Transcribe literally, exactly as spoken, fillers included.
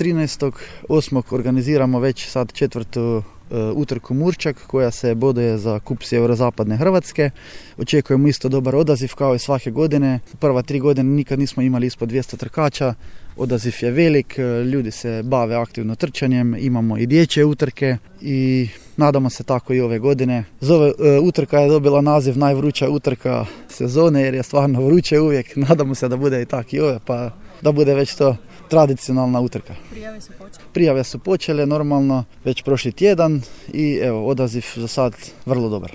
trinaestog osmog organiziramo već sad četvrtu utrku Murčak koja se boduje za kup sjeverozapadne Hrvatske. Očekujemo isto dobar odaziv kao i svake godine. Prva tri godine nikad nismo imali ispod dvjesto trkača. Odaziv je velik, ljudi se bave aktivno trčanjem, imamo i dječje utrke i nadamo se tako i ove godine. Zove, utrka je dobila naziv najvruća utrka sezone jer je stvarno vruće uvijek. Nadamo se da bude i tak i ove, pa da bude već to tradicionalna utrka. Prijave su počele? Prijave su počele normalno već prošli tjedan i evo odaziv za sad vrlo dobar.